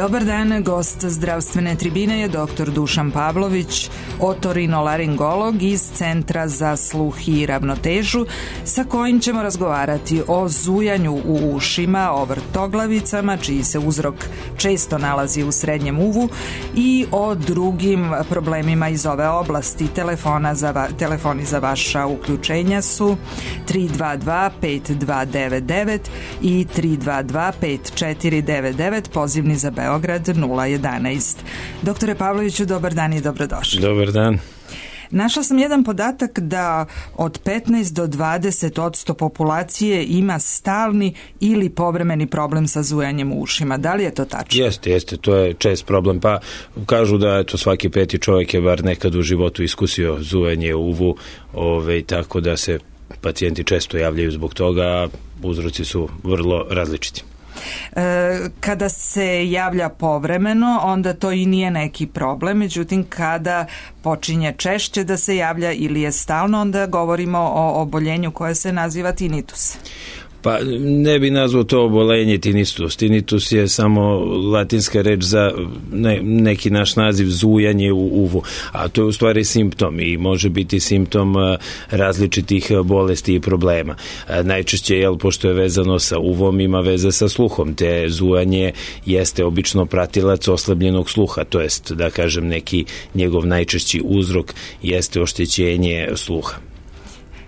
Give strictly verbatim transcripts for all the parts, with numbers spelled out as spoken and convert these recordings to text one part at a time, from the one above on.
Dobar dan, gost zdravstvene tribine je doktor Dušan Pavlović, otorinolaringolog iz Centra za sluh i ravnotežu, sa kojim ćemo razgovarati o zujanju u ušima, o vrtoglavicama, čiji se uzrok često nalazi u srednjem uvu, i o drugim problemima iz ove oblasti. Telefona za va, telefoni za vaša uključenja su tri dva dva pet dva devet devet i tri dva dva pet četiri devet devet, pozivni za Beograd nula jedanaest. Doktore Pavloviću, dobar dan i dobrodošli. Dobar dan. Našla sam jedan podatak da od petnaest do dvadeset odsto populacije ima stalni ili povremeni problem sa zujanjem u ušima. Da li je to tačno? Jeste, jeste, to je čest problem. Pa kažu da eto, svaki peti čovjek je bar nekad u životu iskusio zujanje u uvu, ove, tako da se pacijenti često javljaju zbog toga, a uzroci su vrlo različiti. Kada se javlja povremeno, onda to i nije neki problem, međutim kada počinje češće da se javlja ili je stalno, onda govorimo o oboljenju koje se naziva tinitus. Pa ne bi nazvao to obolenje tinitus. Tinitus je samo latinska reč za ne, neki naš naziv zujanje u uvu, a to je u stvari simptom i može biti simptom različitih bolesti i problema. Najčešće, jel, pošto je vezano sa uvom, ima veze sa sluhom, te zujanje jeste obično pratilac oslabljenog sluha, to jest, da kažem, neki njegov najčešći uzrok jeste oštećenje sluha.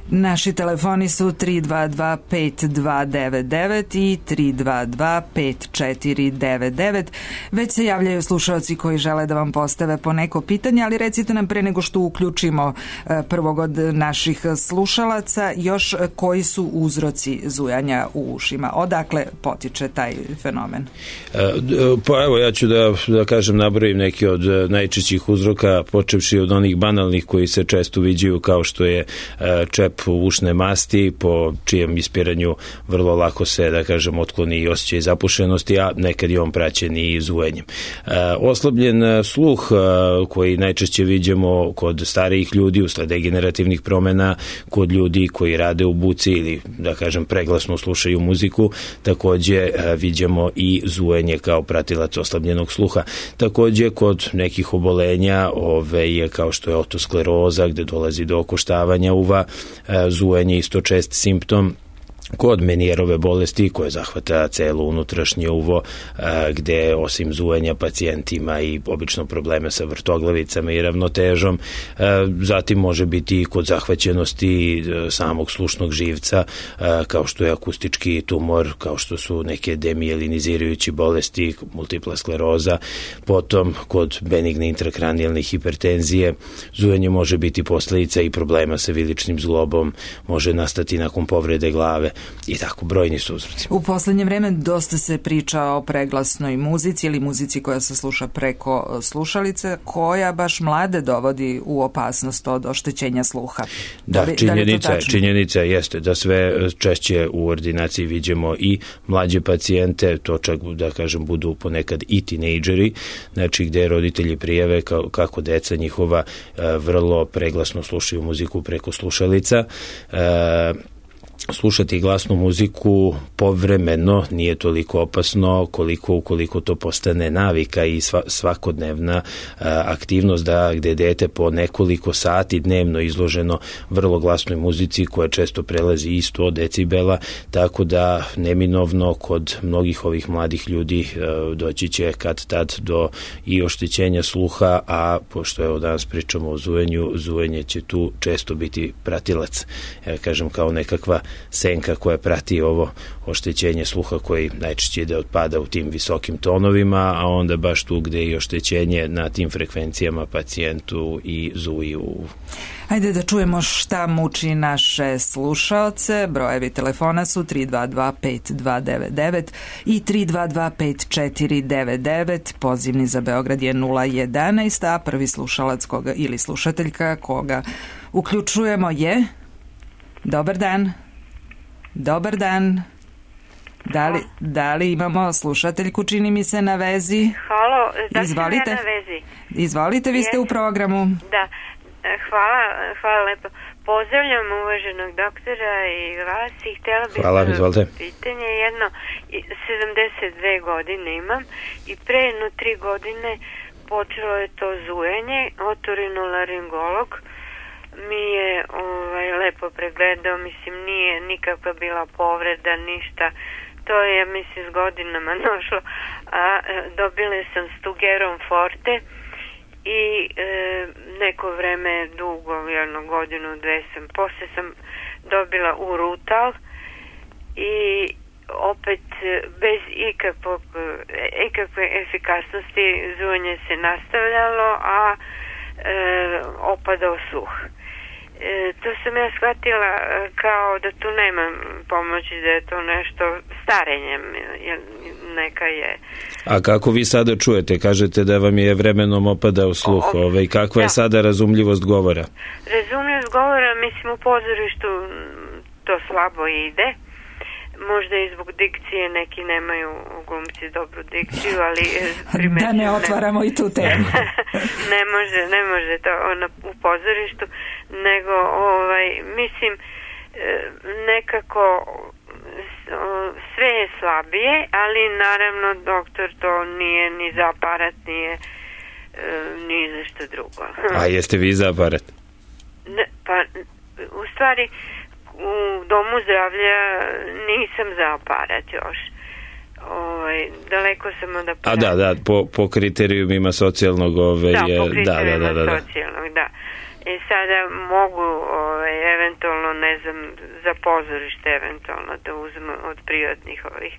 Naši telefoni su tri dva dva pet dva devet devet i tri dva dva pet četiri devet devet. Već se javljaju slušalci koji žele da vam postave po neko pitanje, ali recite nam pre nego što uključimo prvog od naših slušalaca još koji su uzroci zujanja u ušima. Odakle potiče taj fenomen? Pa evo, ja ću da, da kažem, nabrojim neki od najčešćih uzroka, počevši od onih banalnih koji se često viđaju, kao što je čep ušne masti, po čijem ispiranju vrlo lako se, da kažem, otkloni i osjećaj zapušenosti, a nekad je on praćen i zujenjem. E, oslabljen sluh, a, koji najčešće viđemo kod starijih ljudi usled degenerativnih promena, kod ljudi koji rade u buci ili, da kažem, preglasno slušaju muziku, takođe a, viđemo i zujenje kao pratilac oslabljenog sluha. Takođe kod nekih obolenja, ove, kao što je otoskleroza, gde dolazi do okoštavanja uva, zujenje isto čest simptom. Kod Menijerove bolesti, koja zahvata celo unutrašnje uvo, gde osim zujenja pacijent ima i obično probleme sa vrtoglavicama i ravnotežom. Zatim može biti i kod zahvaćenosti samog slušnog živca, kao što je akustički tumor, kao što su neke demijelinizirajući bolesti, multipla skleroza. Potom kod benigne intrakranijalne hipertenzije zujenje može biti posledica i problema sa viličnim zglobom, može nastati nakon povrede glave i tako, brojni su uzroci. U poslednje vreme dosta se priča o preglasnoj muzici ili muzici koja se sluša preko slušalice, koja baš mlade dovodi u opasnost od oštećenja sluha. Da, da li, činjenica, da li činjenica jeste da sve češće u ordinaciji viđemo i mlađe pacijente, to čak, da kažem, budu ponekad i tinejdžeri, znači gde roditelji prijave kako deca njihova vrlo preglasno slušaju muziku preko slušalica. E, Slušati glasnu muziku povremeno nije toliko opasno koliko ukoliko to postane navika i svakodnevna aktivnost, da gde dete po nekoliko sati dnevno izloženo vrlo glasnoj muzici koja često prelazi i sto decibela, tako da neminovno kod mnogih ovih mladih ljudi doći će kad tad do i oštećenja sluha, a pošto evo danas pričamo o zujenju, zujenje će tu često biti pratilac, ja kažem, kao nekakva senka koja prati ovo oštećenje sluha koji najčešće ide odpada u tim visokim tonovima, a onda baš tu gde je oštećenje na tim frekvencijama pacijentu i zuji u uvu. Ajde da čujemo šta muči naše slušaoce. Brojevi telefona su tri dva dva pet dva devet devet i tri dva dva pet četiri devet devet. Pozivni za Beograd je nula jedanaest, a prvi slušalac koga ili slušateljka koga uključujemo je... Dobar dan. Dobar dan. Da li, da li imamo slušateljku, čini mi se, na vezi? Halo, da Izvolite. sam ja na vezi. Izvolite, vi ste u programu. Da, hvala, hvala lepo. Pozdravljam uvaženog doktora i vas i htjela bih Hvala, izvolite. pitanje. Jedno, sedamdeset dve godine imam i pre jedno tri godine počelo je to zujanje. Otorinolaringolog mi je ovaj, lepo pregledao, mislim nije nikakva bila povreda, ništa. To je, mislim, s godinama došlo. A dobila sam Stugeron Forte i e, neko vreme dugo, jedno godinu, dve sam, poslije sam dobila Urutal i opet bez ikakvog, ikakve efikasnosti zujanje se nastavljalo, a e, opadao sluh. E, to sam ja shvatila kao da tu nema pomoći, da je to nešto starenjem, neka je. A kako vi sada čujete? Kažete da vam je vremenom opadao sluh. O, ove, kakva da. je sada razumljivost govora? Razumljivost govora, mislim, u pozorištu to slabo ide. Možda i zbog dikcije, neki nemaju glumci dobru dikciju, ali da ne otvaramo ne, i tu temu. ne može, ne može to ono, u pozorištu, nego ovaj, mislim nekako sve je slabije, ali naravno doktor to nije ni za aparat, nije ni za što drugo. A jeste vi za aparat? Ne, pa u stvari u domu zdravlja nisam za aparat još. Ovaj, daleko sam od aparata. A da, da, po, po kriterijumima socijalnog ove, da, je, po kriterijumima da, da, da, da. socijalnog, da. I sada mogu ovaj, eventualno, ne znam, za pozorište eventualno da uzmem od privatnih ovih,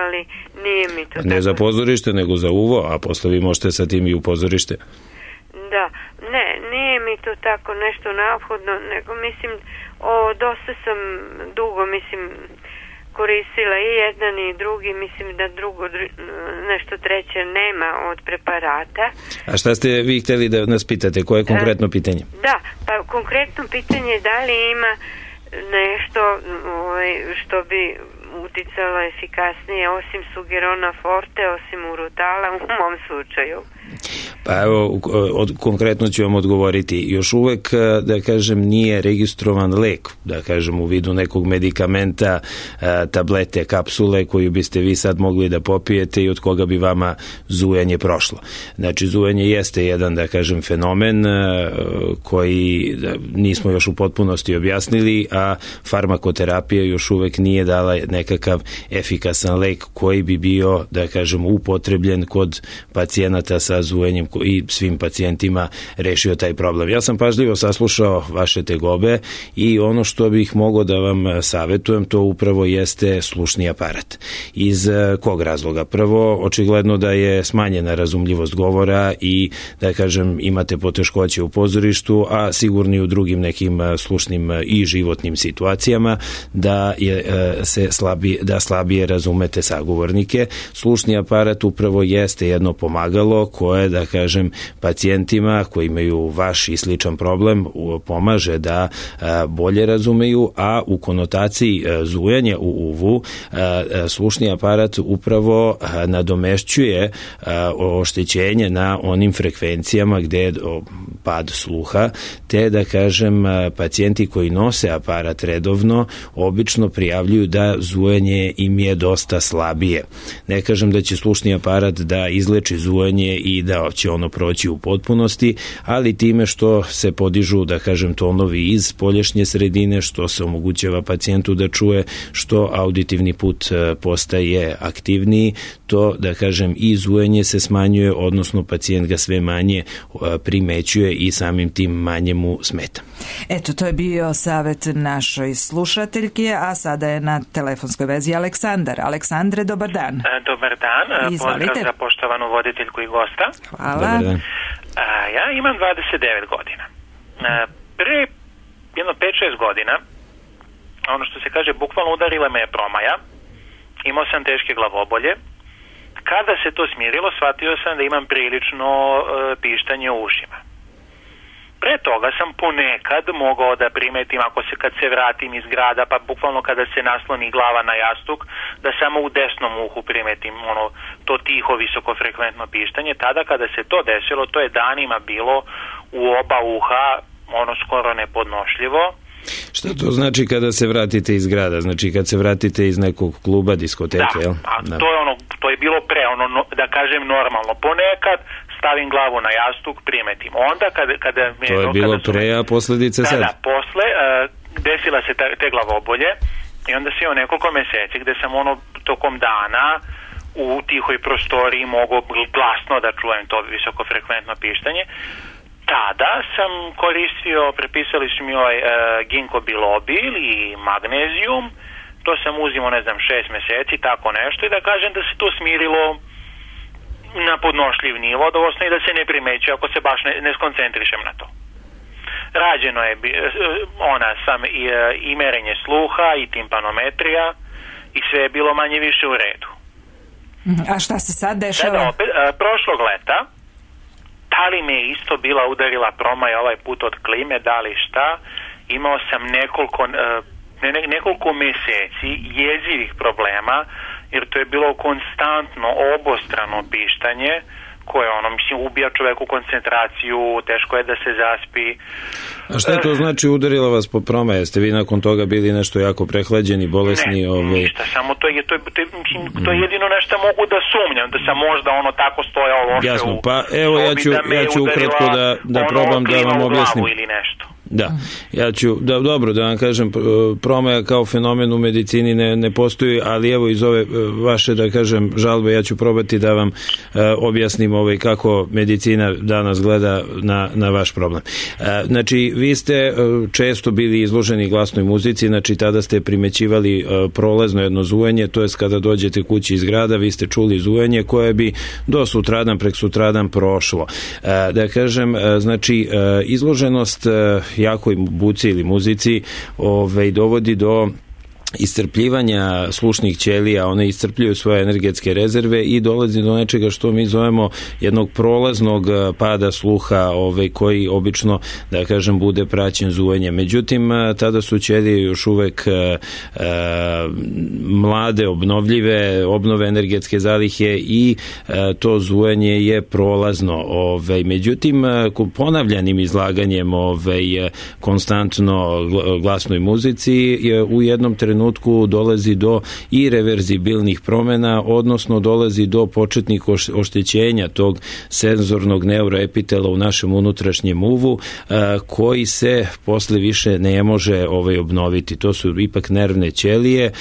ali nije mi to. Ne tako za pozorište, nego za uvo, a posle vi možete sa tim i u pozorište. Da, ne, nije mi to tako nešto neophodno, nego mislim, o, dosta sam dugo, mislim, koristila i jedan i drugi, mislim da drugo, nešto treće nema od preparata. A šta ste vi htjeli da nas pitate? Koje je konkretno pitanje? Da, pa konkretno pitanje je da li ima nešto ovaj, što bi uticalo efikasnije osim Stugerona Forte, osim Urutala u mom slučaju. Pa evo, od, konkretno ću vam odgovoriti. Još uvek, da kažem, nije registrovan lek, da kažem, u vidu nekog medikamenta, tablete, kapsule koju biste vi sad mogli da popijete i od koga bi vama zujanje prošlo. Znači, zujanje jeste jedan, da kažem, fenomen koji nismo još u potpunosti objasnili, a farmakoterapija još uvek nije dala nekakav efikasan lek koji bi bio, da kažem, upotrebljen kod pacijenata sa zujenjem i svim pacijentima rešio taj problem. Ja sam pažljivo saslušao vaše tegobe i ono što bih mogao da vam savetujem, to upravo jeste slušni aparat. Iz kog razloga? Prvo, očigledno da je smanjena razumljivost govora i, da kažem, imate poteškoće u pozorištu, a sigurni u drugim nekim slušnim i životnim situacijama da je se slabije, da slabije razumete sagovornike. Slušni aparat upravo jeste jedno pomagalo koje, da kažem, pacijentima koji imaju vaš i sličan problem pomaže da bolje razumeju, a u konotaciji zujanja u uvu slušni aparat upravo nadomešćuje oštećenje na onim frekvencijama gde je pad sluha, te, da kažem, pacijenti koji nose aparat redovno obično prijavljuju da zujanje im je dosta slabije. Ne kažem da će slušni aparat da izleči zujanje i da će ono proći u potpunosti, ali time što se podižu, da kažem, tonovi iz spoljašnje sredine, što se omogućava pacijentu da čuje, što auditivni put postaje aktivniji, to, da kažem, i zujanje se smanjuje, odnosno pacijent ga sve manje primećuje i samim tim manje mu smeta. Eto, to je bio savet našoj slušateljke, a sada je na telefonskoj vezi Aleksandar. Aleksandre, dobar dan. Dobar dan, pozdrav za poštovanu voditeljku i gosta. Hvala. Ja imam dvadeset devet godina. Pre jedno pet šest godina, ono što se kaže, bukvalno udarila me je promaja, imao sam teške glavobolje. Kada se to smirilo, shvatio sam da imam prilično pištanje u ušima. Pre toga sam ponekad mogao da primetim, ako se kad se vratim iz grada, pa bukvalno kada se nasloni glava na jastuk, da samo u desnom uhu primetim ono, to tiho, visokofrekventno pištanje. Tada kada se to desilo, to je danima bilo u oba uha ono skoro nepodnošljivo. Šta to znači kada se vratite iz grada? Znači kad se vratite iz nekog kluba, diskoteke, da, jel? A da, to je ono, to je bilo pre, ono, da kažem, normalno. Ponekad stavim glavu na jastuk, primetim. Onda kada, kada mi to je bilo pre, a posledice da, sad? Da, posle, uh, desila se ta, te glavobolje i onda se o nekoliko meseci gde sam ono tokom dana u tihoj prostoriji mogao glasno da čujem to visokofrekventno pištanje. Tada sam koristio, prepisali su mi ovaj uh, ginkgo bilobil i magnezijum, to sam uzimao, ne znam, šest meseci, tako nešto, i da kažem da se to smirilo na podnošljiv nivo, da osnovi da se ne primećuje ako se baš ne, ne skoncentrišem na to. Rađeno je ona sam i, i merenje sluha i timpanometrija i sve je bilo manje više u redu. A šta se sad dešava? Sada opet, uh, prošlog leta da li me je isto bila udarila promaja ovaj put od klime, da li šta, imao sam nekoliko, ne, nekoliko meseci jezivih problema, jer to je bilo konstantno obostrano pištanje, koje ono, mislim, ubija čoveku koncentraciju, teško je da se zaspi. A šta to znači udarila vas po promaje? Jeste vi nakon toga bili nešto jako prehlađeni, bolesni? Ne, ove... ništa, samo to je, to je, to je, mislim, to je jedino nešto mogu da sumnjam, da sam možda ono tako stojao loše. Jasno, pa evo ja ću, da ja ću ukratko da, da probam da vam objasnim. Ili nešto. Da, ja ću, da, dobro, da vam kažem, promaja kao fenomen u medicini ne, ne postoji, ali evo iz ove vaše, da kažem, žalbe, ja ću probati da vam e, objasnim ovaj, kako medicina danas gleda na, na vaš problem. E, znači, vi ste e, često bili izloženi glasnoj muzici, znači tada ste primećivali e, prolazno jedno zujenje, to je kada dođete kući iz grada, vi ste čuli zujenje koje bi do sutradan, prek sutradan prošlo. E, da kažem, e, znači, e, izloženost e, jakoj buci ili muzici ovaj, dovodi do iscrpljivanja slušnih ćelija, one iscrpljuju svoje energetske rezerve i dolazi do nečega što mi zovemo jednog prolaznog pada sluha, ovaj, koji obično, da kažem, bude praćen zujenjem. Međutim, tada su ćelije još uvek e, mlade, obnovljive, obnove energetske zalihe i e, to zujenje je prolazno. Ovaj. Međutim, ponavljanim izlaganjem ovaj, konstantno glasnoj muzici je u jednom trenutku trenutku dolazi do ireverzibilnih promena, odnosno dolazi do početnih oštećenja tog senzornog neuroepitela u našem unutrašnjem uvu, koji se posle više ne može ovaj obnoviti. To su ipak nervne ćelije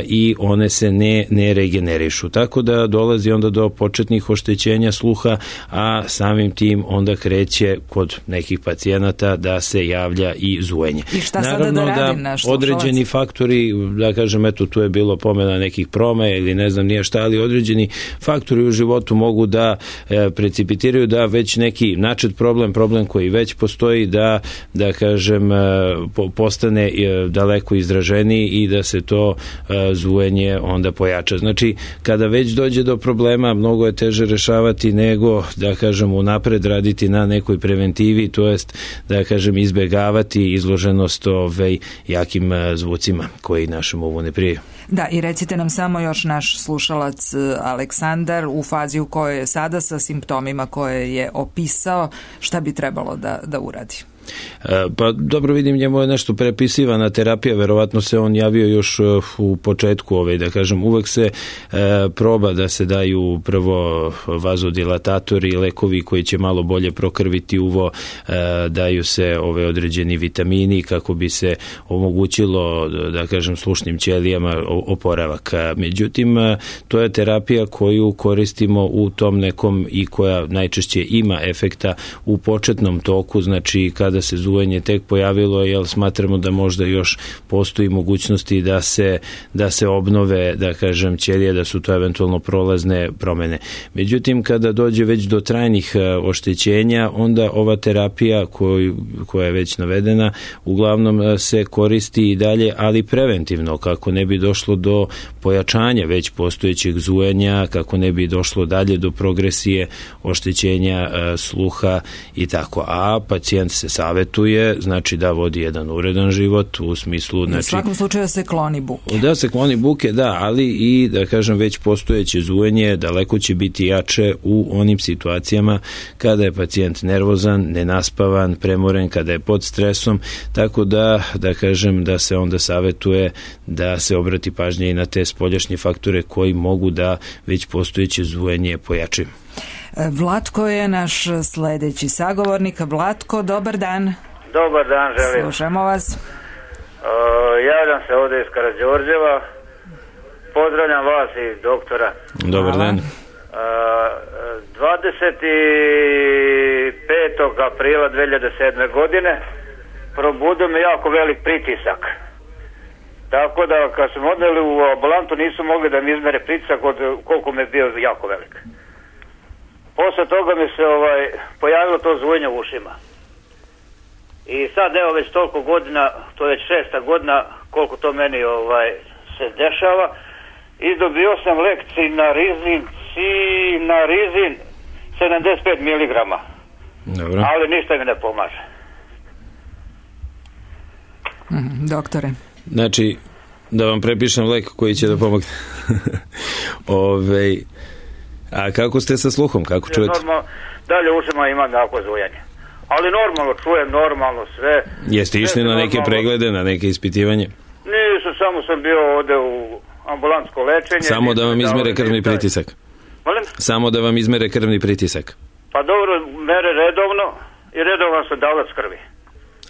i one se ne, ne regenerišu. Tako da dolazi onda do početnih oštećenja sluha, a samim tim onda kreće kod nekih pacijenata da se javlja i zujenje. I šta sada Naravno, da radim naš slušalac? Određeni faktori, da kažem, eto, tu je bilo pomena nekih promaja ili ne znam nije šta, ali određeni faktori u životu mogu da e, precipitiraju da već neki načet problem, problem koji već postoji, da, da kažem, e, po, postane e, daleko izraženiji i da se to e, zujenje onda pojača. Znači, kada već dođe do problema, mnogo je teže rešavati nego, da kažem, unapred raditi na nekoj preventivi, to jest, da kažem, izbegavati izloženost ovaj, jakim e, zvucima koji našem uvu ne prije. Da, i recite nam samo još naš slušalac Aleksandar u fazi u kojoj je sada sa simptomima koje je opisao, šta bi trebalo da, da uradi? Pa dobro, vidim, njemu je nešto prepisivana terapija, verovatno se on javio još u početku, ovaj, da kažem, uvek se e, proba da se daju prvo vazodilatatori, lekovi koji će malo bolje prokrviti uvo, e, daju se ove određeni vitamini kako bi se omogućilo, da kažem, slušnim ćelijama oporavak. Međutim, to je terapija koju koristimo u tom nekom i koja najčešće ima efekta u početnom toku, znači kada se zujenje tek pojavilo, jer smatramo da možda još postoji mogućnosti da se, da se obnove, da kažem, ćelije, da su to eventualno prolazne promene. Međutim, kada dođe već do trajnih oštećenja, onda ova terapija koju, koja je već navedena, uglavnom se koristi i dalje, ali preventivno, kako ne bi došlo do pojačanja već postojećeg zujenja, kako ne bi došlo dalje do progresije oštećenja sluha i tako. A pacijent se sam savetuje, znači da vodi jedan uredan život u smislu... Znači, u svakom slučaju da se kloni buke. Da se kloni buke, da, ali i da kažem već postojeće zujenje daleko će biti jače u onim situacijama kada je pacijent nervozan, nenaspavan, premoren, kada je pod stresom, tako da, da kažem da se onda savetuje da se obrati pažnje i na te spoljašnje faktore koji mogu da već postojeće zujenje pojačaju. Vlatko je naš sledeći sagovornik. Vlatko, dobar dan. Dobar dan, želim. Slušamo vas. Uh, javljam se ovde iz Karađorđeva. Pozdravljam vas i doktora. Dobar Hvala. dan. Uh, dvadeset petog aprila dve hiljade sedme godine probudio me jako velik pritisak. Tako da kad smo odneli u ambulantu nisu mogli da mi izmere pritisak od koliko me je bio jako velik. Posle toga mi se ovaj, pojavilo to zvujenje u ušima. I sad evo već toliko godina, to je već šesta godina koliko to meni ovaj, se dešava. I dobio sam lek Cinarizin, Cinarizin sedamdeset pet miligrama. Dobro. Ali ništa mi ne pomaže. Mm, doktore. Znači, da vam prepišem lek koji će da pomogne. Ove, a kako ste sa sluhom? Kako čujete? Normalno, dalje u ušima imam jako zujanje. Ali normalno čujem, normalno sve. Jeste išli na neke normalno preglede, na neke ispitivanje? Nisu, samo sam bio ovde u ambulantsko lečenje. Samo da vam izmere krvni pritisak? Molim? Samo da vam izmere krvni pritisak? Pa dobro, mere redovno i redovno su davac krvi.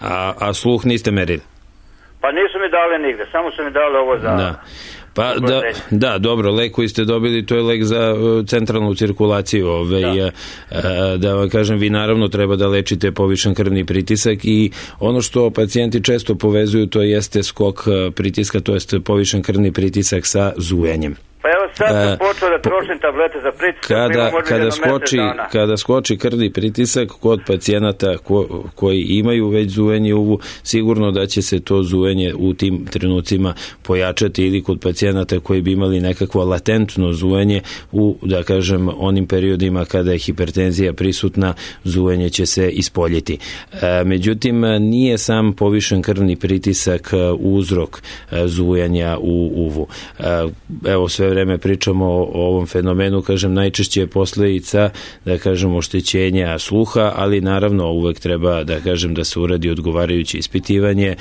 A, a sluh niste merili? Pa nisu mi dali nigde, samo su mi dali ovo za... Da. Pa da, da, dobro, lek koji ste dobili, to je lek za uh, centralnu cirkulaciju. Ove, da. Uh, da vam kažem, vi naravno treba da lečite povišen krvni pritisak i ono što pacijenti često povezuju, to jeste skok uh, pritiska, to jeste povišen krvni pritisak sa zujenjem. Pa evo sad sam uh, počeo da trošim tablete za pritisak. Kada, kada, skoči, kada skoči krvni pritisak kod pacijenata ko, koji imaju već zujenje uvu, sigurno da će se to zujenje u tim trenucima pojačati, ili kod pacijenata koji bi imali nekakvo latentno zujenje u, da kažem, onim periodima kada je hipertenzija prisutna, zujenje će se ispoljiti. E, međutim, nije sam povišen krvni pritisak uzrok zujanja u uvu. E, evo, sve vreme pričamo o, o ovom fenomenu, kažem, najčešće je posledica, da kažem, oštećenja sluha, ali naravno uvek treba, da kažem, da se uradi odgovarajuće ispitivanje,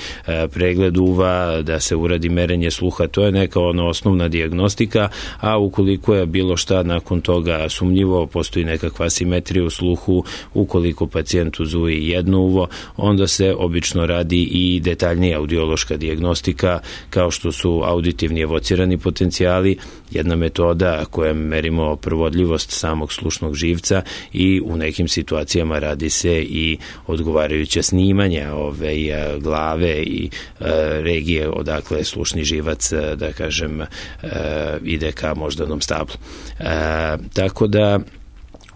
pregled uva, da se uradi merenje sluha, to je neka ona osnovna dijagnostika, a ukoliko je bilo šta nakon toga sumnjivo, postoji nekakva asimetrija u sluhu, ukoliko pacijentu zuji jedno uvo, onda se obično radi i detaljnija audiološka dijagnostika, kao što su auditivni evocirani potencijali, jedna metoda kojom merimo provodljivost samog slušnog živca, i u nekim situacijama radi se i odgovarajuća snimanja ove glave i e, regije odakle slušni živac, da kažem, e, ide ka moždanom stablu. E, tako da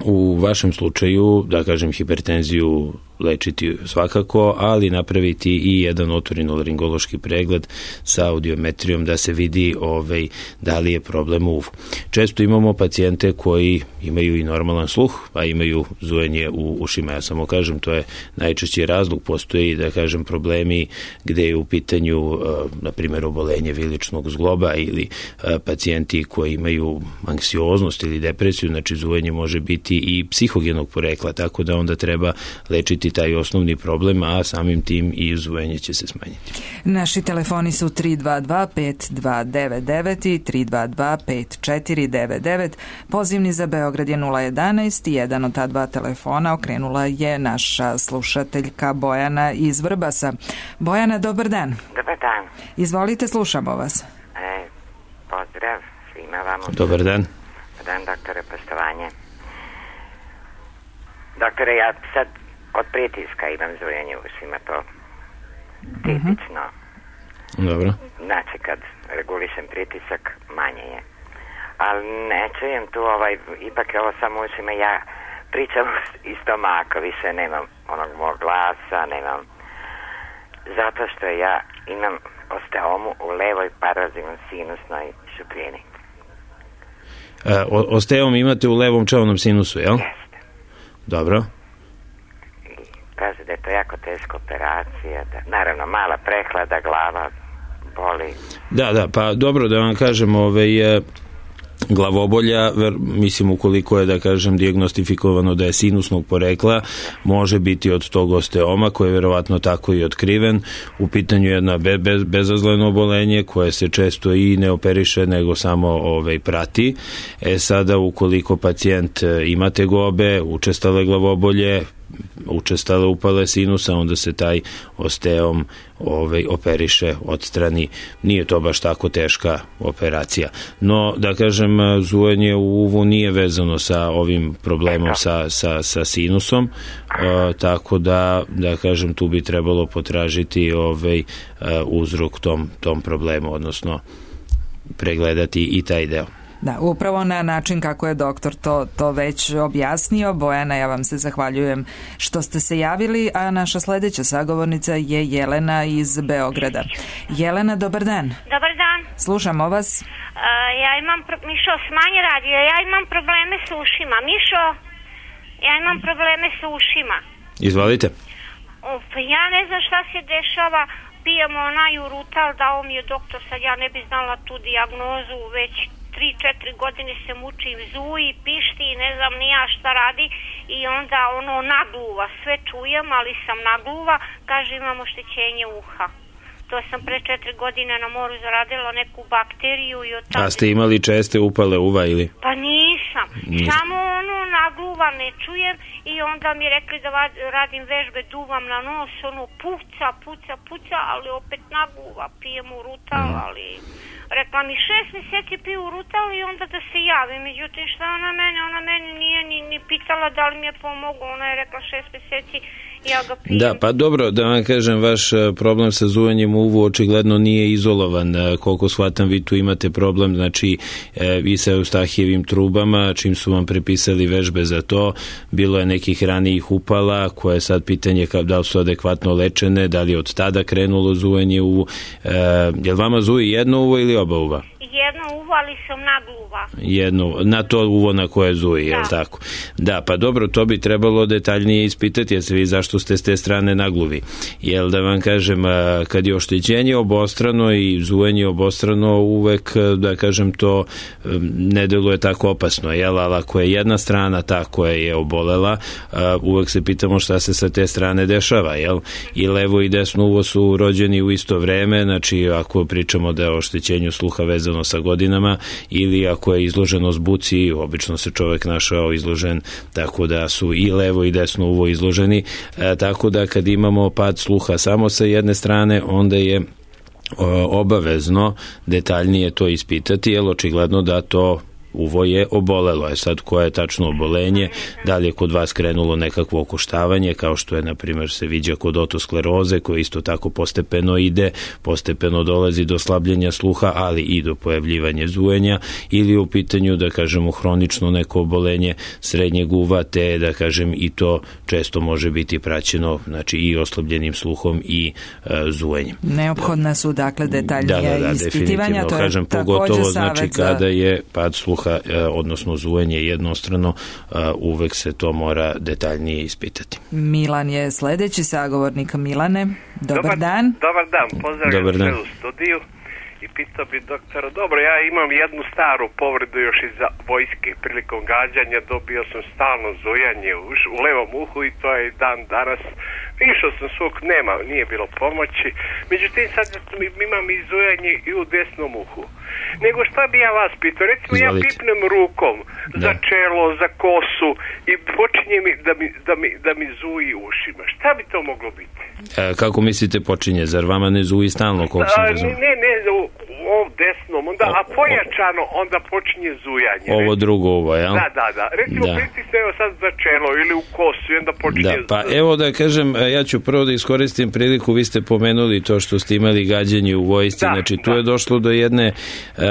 u vašem slučaju, da kažem, hipertenziju lečiti svakako, ali napraviti i jedan otorinolaringološki pregled sa audiometrijom da se vidi ovaj, da li je problem u uvu. Često imamo pacijente koji imaju i normalan sluh, a imaju zujenje u ušima. Ja samo kažem, to je najčešći razlog. Postoji, da kažem, problemi gde je u pitanju, na primjer, obolenje viličnog zgloba ili pacijenti koji imaju anksioznost ili depresiju, znači zujenje može biti i psihogenog porekla, tako da onda treba lečiti taj osnovni problem, a samim tim i zujenje će se smanjiti. Naši telefoni su tri dva dva pet dva devet devet i tri dva dva pet četiri devet devet. Pozivni za Beograd je nula jedanaest i jedan od ta dva telefona okrenula je naša slušateljka Bojana iz Vrbasa. Bojana, dobar dan. Dobar dan. Izvolite, slušamo vas. E, pozdrav svima vama. Dobar dan. Dobar dan, doktore, poštovanje. Doktore, ja sad od pritiska imam zujenje u ušima, to tipično. Uh-huh. Dobro. Znači, kad regulišem pritisak, manje je. Ali ne čujem tu, ovaj, ipak je ovo samo u ušima, ja pričam iz stomaka, više nemam onog mog glasa, nemam, zato što ja imam osteomu u levoj parazivno-sinusnoj šupljini. E, osteom imate u levom čelnom sinusu, jel? Jeste. Dobro. Kaže da je je to jako teška operacija, da, naravno mala prehlada, glava boli. Da, da, pa dobro da vam kažem, ovaj, glavobolja, mislim ukoliko je da kažem dijagnostifikovano da je sinusnog porekla, može biti od tog osteoma koji je verovatno tako i otkriven. U pitanju je jedno be, be, bezazleno obolenje koje se često i ne operiše nego samo ovaj, prati. E sada ukoliko pacijent ima tegobe, učestale glavobolje, učestale upale sinusa, onda se taj osteom ovaj, operiše, odstrani. Nije to baš tako teška operacija. No, da kažem, zujanje u uvu nije vezano sa ovim problemom sa, sa, sa sinusom, e, tako da, da kažem, tu bi trebalo potražiti ovaj, uzrok tom, tom problemu, odnosno pregledati i taj deo. Da, upravo na način kako je doktor to, to već objasnio. Bojana, ja vam se zahvaljujem što ste se javili, a naša sledeća sagovornica je Jelena iz Beograda. Jelena, dobar dan. Dobar dan. Slušamo vas. Uh, ja imam, pro- Mišo, smanji radio, ja imam probleme s ušima. Mišo, ja imam probleme s ušima. Izvolite. Uf, ja ne znam šta se dešava, pijemo onaj urutal, dao mi je doktor, sad ja ne bi znala tu dijagnozu, već tri četiri godine se mučim, zuji, pišti, ne znam ni ja šta radi i onda ono nagluva, sve čujem, ali sam nagluva, kaže imam oštećenje uha. To sam pre četiri godine na moru zaradila neku bakteriju i od tada... A ste imali česte upale uva ili? Pa nisam, nisam. Samo ono nagluva ne čujem i onda mi rekli da radim vežbe, duvam na nos, ono puca, puca, puca, ali opet nagluva, pijem urutal, mm. ali... Rekla mi šest mjeseci piju urutal i onda da se javi. Međutim, šta ona mene? Ona meni nije ni, ni pitala da li mi je pomogla. Ona je rekla šest mjeseci ja ga pijem. Da, pa dobro, da vam kažem, vaš problem sa zuvanjem uvu očigledno nije izolovan. Koliko shvatam, vi tu imate problem, znači i sa Eustahijevim trubama, čim su vam prepisali vežbe za to. Bilo je nekih ranijih upala, koje je sad pitanje da li su adekvatno lečene, da li je od tada krenulo zuvanje uvu. E, je li vama zuji jedno uvo ili oba uva? Jedno uvo, ali sam nagluva. Jedno, na to uvo na koje zuji, da. Je li tako? Da, pa dobro, to bi trebalo detaljnije ispitati, jer se vi zašto ste s te strane nagluvi. Jel da vam kažem, kad je oštećenje obostrano i zujanje obostrano, uvek, da kažem, to ne deluje tako opasno, jel? Ali ako je jedna strana ta koja je obolela, uvek se pitamo šta se sa te strane dešava, jel? I levo i desno uvo su rođeni u isto vreme, znači ako pričamo da je oštećenju sluha vezano sa godinama ili ako je izloženost buci, obično se čovek našao izložen, tako da su i levo i desno uvo izloženi, e, tako da kad imamo pad sluha samo sa jedne strane, onda je o, obavezno detaljnije to ispitati, jer očigledno da to uvo je obolelo. Je sad koje je tačno obolenje, da li je kod vas krenulo nekakvo okoštavanje, kao što je, na primjer, se viđa kod otoskleroze, koja isto tako postepeno ide, postepeno dolazi do slabljenja sluha, ali i do pojavljivanja zujenja, ili u pitanju, da kažemo, hronično neko obolenje srednjeg uva, te, da kažem, i to često može biti praćeno, znači i oslabljenim sluhom i e, zujenjem. Neophodna su, dakle, detaljnija da, da, da, ispitivanja, to je kažem, pogotovo, znači, za... kada je pad sluha, odnosno zujenje jednostrano, uvek se to mora detaljnije ispitati. Milan je sledeći sagovornik. Milane, dobar, dobar dan. Dobar dan, pozdravljam sve u studiju i pitao bi doktora, dobro, ja imam jednu staru povredu još iz vojske, prilikom gađanja dobio sam stalno zujanje u, u levom uhu i to je dan danas. Išao sam svog, nema, nije bilo pomoći, međutim sad imam i zujanje i u desnom uhu. Nego šta bi ja vas pitao, recimo Izvolite. Ja pipnem rukom da. za čelo, za kosu i počinje mi da mi, da mi, da mi zuji ušima. Šta bi to moglo biti? E, kako mislite počinje? Zar vama ne zuji stalno? Koliko sam razumio? Ne, ne, u, u ovom desnom, onda, o, a pojačano onda počinje zujanje. Ovo recimo, drugo uvo, jel? Da, da, da. Recimo da. pritisne evo sad za čelo ili u kosu i onda počinje... Da, pa evo da kažem, ja ću prvo da iskoristim priliku, vi ste pomenuli to što ste imali gađanje u vojsci, da, znači tu da. je došlo do jedne, uh,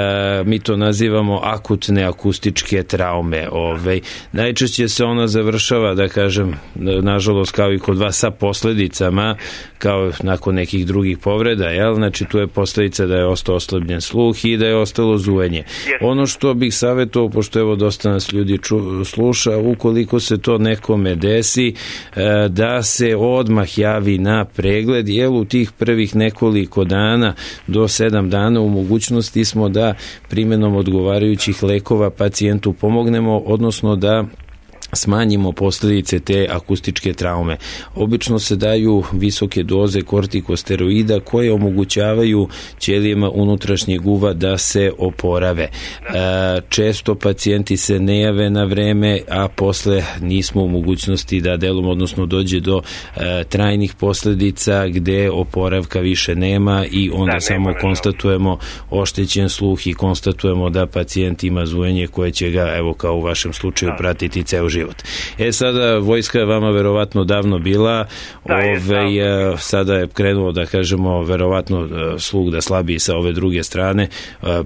mi to nazivamo akutne akustičke traume. Ove, najčešće se ona završava, da kažem, nažalost kao i kod vas, sa posledicama, kao nakon nekih drugih povreda, jel? Znači tu je posledica da je ostao oslabljen sluh i da je ostalo zujenje. Yes. Ono što bih savjetovao, pošto evo dosta nas ljudi ču, sluša, ukoliko se to nekome desi, uh, da se odmah odmah javi na pregled, jer u tih prvih nekoliko dana do sedam dana u mogućnosti smo da primjenom odgovarajućih lekova pacijentu pomognemo, odnosno da smanjimo posljedice te akustičke traume. Obično se daju visoke doze kortikosteroida koje omogućavaju ćelijama unutrašnjeg uva da se oporave. Često pacijenti se ne jave na vreme, a posle nismo u mogućnosti da delom, odnosno dođe do trajnih posljedica gde oporavka više nema i onda da, samo konstatujemo oštećen sluh i konstatujemo da pacijent ima zujenje koje će ga, evo kao u vašem slučaju, pratiti ceo život. E sada, vojska je vama verovatno davno bila, da, ove, je, sada je krenuo, da kažemo, verovatno sluh da slabiji sa ove druge strane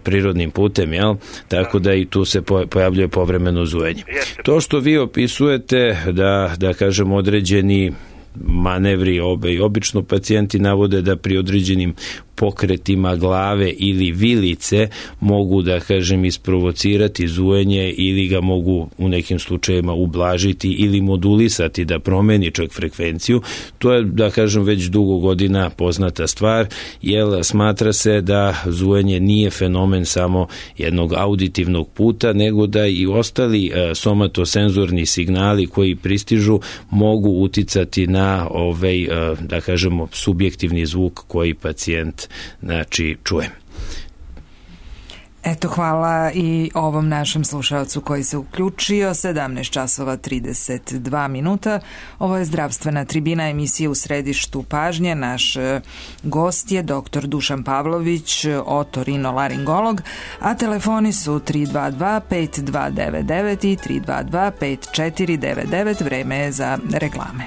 prirodnim putem, jel? Tako da, da i tu se pojavljuje povremeno zujenje. Jeste. To što vi opisujete, da, da kažemo, određeni manevri, obe i obično pacijenti navode da pri određenim pokretima glave ili vilice mogu, da kažem, isprovocirati zujenje ili ga mogu u nekim slučajevima ublažiti ili modulisati da promeni čak frekvenciju. To je, da kažem, već dugo godina poznata stvar, jer smatra se da zujenje nije fenomen samo jednog auditivnog puta, nego da i ostali somatosenzorni signali koji pristižu mogu uticati na ovaj, da kažemo, subjektivni zvuk koji pacijent znači čuje. Eto, hvala i ovom našem slušalcu koji se uključio. sedamnaest časova trideset dva minuta. Ovo je Zdravstvena tribina, emisija u središtu pažnje. Naš gost je doktor Dušan Pavlović, otorinolaringolog, a telefoni su tri dva dva pet dva devet devet i tri dva dva pet četiri devet devet. Vreme je za reklame.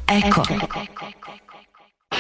Eko.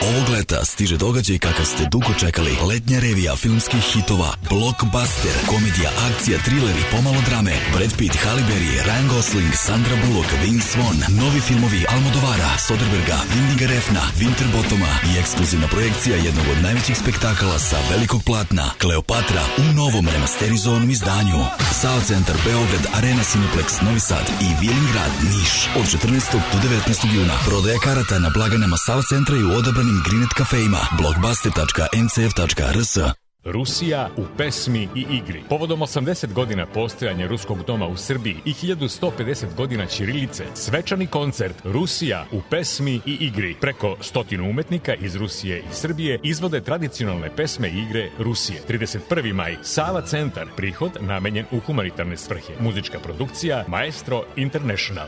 Ovog leta stiže događaj kakav ste dugo čekali. Letnja revija filmskih hitova Blockbuster, komedija, akcija, trileri, pomalo drame. Brad Pitt, Halle Berry, Ryan Gosling, Sandra Bullock, Vince Vaughn. Novi filmovi Almodovara, Soderberga, Windiga Refna, Winterbottoma i ekskluzivna projekcija jednog od najvećih spektakala sa velikog platna, Kleopatra, u novom remasterizovanom izdanju. Sao Centar Beograd, Arena Cineplex Novi Sad i Vilingrad Niš. Od četrnaestog do devetnaestog juna prodaja karata na blagajnama Sao Centra i u odabranim Grinet kafejima. blockbuster tačka m c f tačka r s. Rusija u pesmi i igri. Povodom osamdeset godina postojanja Ruskog doma u Srbiji i hiljadu sto pedeset godina ćirilice, svečani koncert Rusija u pesmi i igri. Preko stotinu umetnika iz Rusije i Srbije izvode tradicionalne pesme i igre Rusije. trideset prvi maj, Sava Centar, prihod namenjen u humanitarne svrhe. Muzička produkcija Maestro International.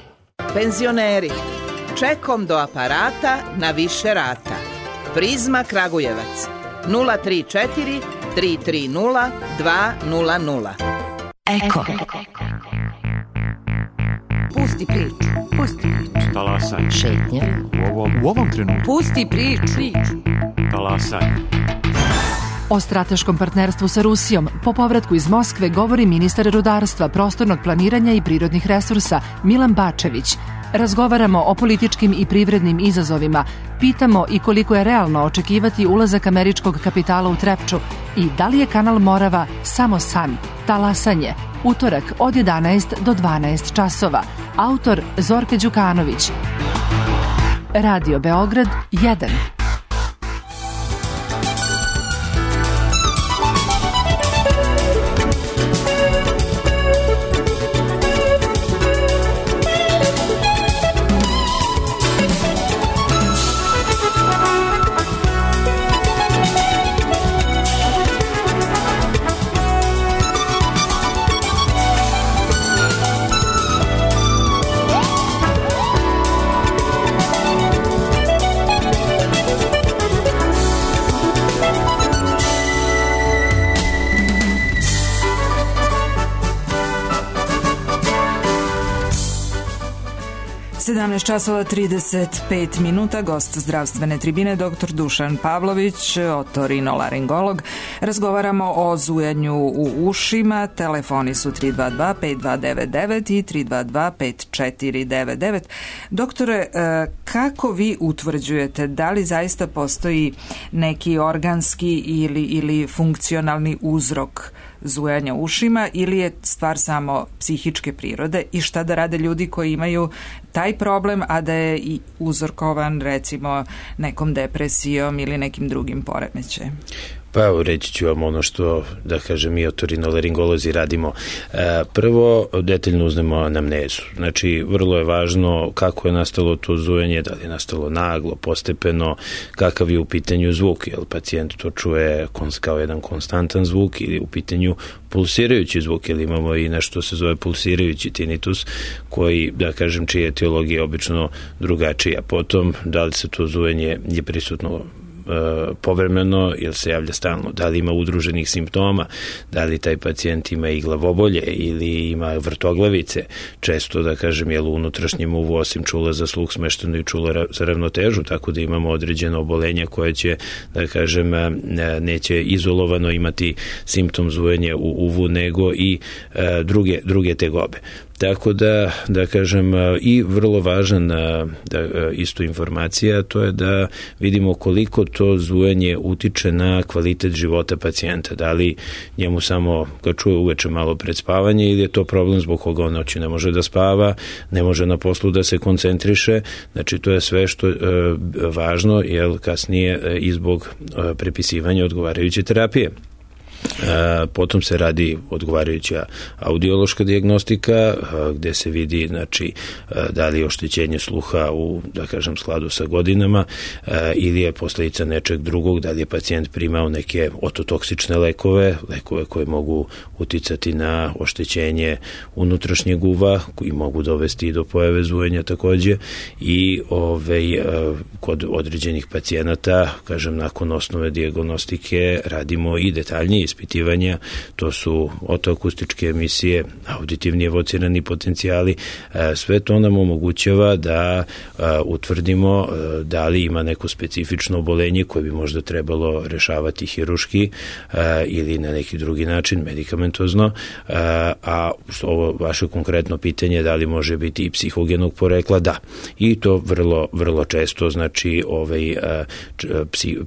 Penzioneri, čekom do aparata na više rata. Prizma Kragujevac nula tri četiri tri tri nula dva nula nula. Eko. Pusti priču. Pusti priču. Talasaj. Šetnje. U ovom, u ovom trenutku. Pusti priču. Talasaj. O strateškom partnerstvu sa Rusijom po povratku iz Moskve govori ministar rudarstva, prostornog planiranja i prirodnih resursa Milan Bačević. Razgovaramo o političkim i privrednim izazovima, pitamo i koliko je realno očekivati ulazak američkog kapitala u Trepču i da li je kanal Morava samo san. Talasanje, utorak od jedanaest do dvanaest časova. Autor Zorka Đukanović. Radio Beograd jedan. sedamnaest časova trideset pet minuta, gost Zdravstvene tribine doktor Dušan Pavlović, otorinolaringolog. Razgovaramo o zujanju u ušima. Telefoni su tri dva dva pet dva devet devet i tri dva dva pet četiri devet devet. Doktore, kako vi utvrđujete da li zaista postoji neki organski ili, ili funkcionalni uzrok zujanja ušima ili je stvar samo psihičke prirode i šta da rade ljudi koji imaju taj problem, a da je i uzorkovan recimo nekom depresijom ili nekim drugim poremećajem? Pa evo, reći ću vam ono što, da kažem, mi otorinolaringolozi radimo. E, prvo, detaljno uznemo anamnezu. Znači, vrlo je važno kako je nastalo to zujanje, da li je nastalo naglo, postepeno, kakav je u pitanju zvuk, jer pacijent to čuje kao jedan konstantan zvuk ili u pitanju pulsirajući zvuk, jer imamo i nešto se zove pulsirajući tinnitus, koji, da kažem, čija etiologija je obično drugačija. Potom, da li se to zujanje je prisutno povremeno ili se javlja stalno, da li ima udruženih simptoma, da li taj pacijent ima i glavobolje ili ima vrtoglavice, često, da kažem, je u unutrašnjem uvu osim čula za sluh smešteno i čula za ravnotežu, tako da imamo određeno obolenje koje će, da kažem, neće izolovano imati simptom zujanja u uvu, nego i druge, druge tegobe. Tako da, da kažem, i vrlo važan da, isto informacija, to je da vidimo koliko to zujanje utiče na kvalitet života pacijenta. Da li njemu samo ga čuje uveče malo pred spavanje ili je to problem zbog koga on noći ne može da spava, ne može na poslu da se koncentriše. Znači, to je sve što je važno, jer kasnije i zbog prepisivanja odgovarajuće terapije. Potom se radi odgovarajuća audiološka dijagnostika gde se vidi, znači, da li je oštećenje sluha u, da kažem, skladu sa godinama ili je posljedica nečeg drugog, da li je pacijent primao neke ototoksične lekove, lekove koje mogu uticati na oštećenje unutrašnjeg uva, koji mogu dovesti do pojave zujanja takođe, i ovaj, kod određenih pacijenata, kažem, nakon osnove dijagnostike radimo i detaljnije ispitivanja, to su otoakustičke emisije, auditivni evocirani potencijali, sve to nam omogućava da utvrdimo da li ima neko specifično obolenje koje bi možda trebalo rešavati hiruški ili na neki drugi način, medikamentozno, a ovo vaše konkretno pitanje da li može biti i psihogenog porekla, da. I to vrlo, vrlo često, znači ovaj,